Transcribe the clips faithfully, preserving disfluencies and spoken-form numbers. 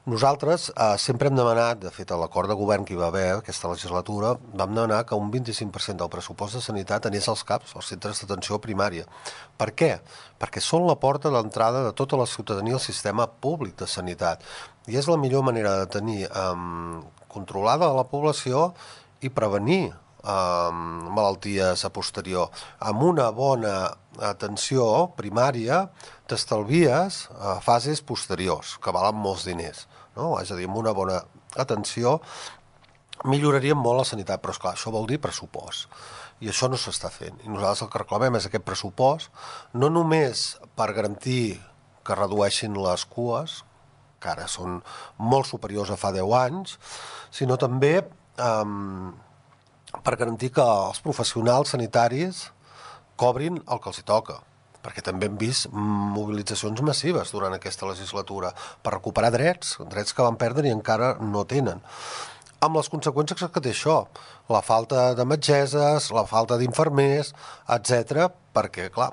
Nosaltres eh, sempre hem demanat, de fet, a l'acord de govern que hi va haver aquesta legislatura, vam demanar que un vint-i-cinc per cent del pressupost de sanitat anés als CAPs, als centres d'atenció primària. Per què? Perquè són la porta d'entrada de tota la ciutadania al sistema públic de sanitat. I és la millor manera de tenir eh, controlada la població i prevenir eh, malalties a posterior. Amb una bona atenció primària t'estalvies a fases posteriors, que valen molts diners, no? És a dir, amb una bona atenció milloraríem molt la sanitat, però esclar, això vol dir pressupost. I això no s'està fent. I nosaltres el que reclamem és aquest pressupost, no només per garantir que redueixin les cues, que ara són molt superiors a fa deu anys, sinó també eh, per garantir que els professionals sanitaris cobrin el que els hi toca, perquè també hem vist mobilitzacions massives durant aquesta legislatura per recuperar drets, drets que van perdre i encara no tenen. Amb les conseqüències que té això, la falta de metgesses, la falta d'infermers, etcètera, perquè, clar,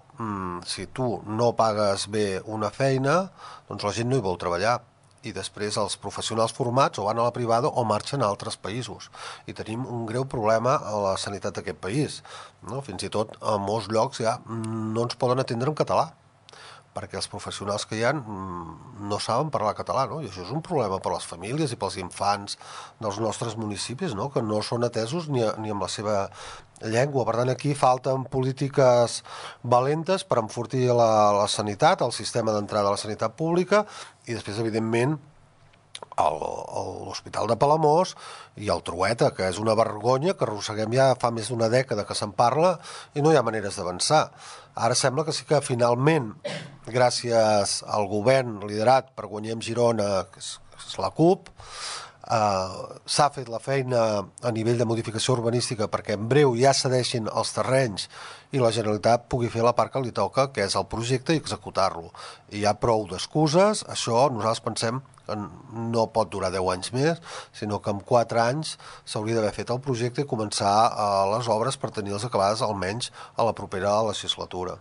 si tu no pagues bé una feina, doncs la gent no hi vol treballar. I després els professionals formats o van a la privada o marxen a altres països. I tenim un greu problema a la sanitat d'aquest país. No? Fins i tot a molts llocs ja no ens poden atendre en català, perquè els professionals que hi ha no saben parlar català, no? I això és un problema per a les famílies i pels infants dels nostres municipis, no? Que no són atesos ni, ni amb la seva llengua. Per tant, aquí falten polítiques valentes per enfortir la, la sanitat, el sistema d'entrada a la sanitat pública, i després, evidentment, l'Hospital de Palamós i el Trueta, que és una vergonya que arrosseguem ja fa més d'una dècada que se'n parla i no hi ha maneres d'avançar. Ara sembla que sí que finalment, gràcies al govern liderat per Guanyem Girona, que és, que és la CUP, Uh, s'ha fet la feina a nivell de modificació urbanística perquè en breu ja cedeixin els terrenys i la Generalitat pugui fer la part que li toca, que és el projecte, i executar-lo. I hi ha prou d'excuses. Això nosaltres pensem que no pot durar deu anys més, sinó que en quatre anys s'hauria d'haver fet el projecte i començar uh, les obres per tenir-les acabades almenys a la propera legislatura.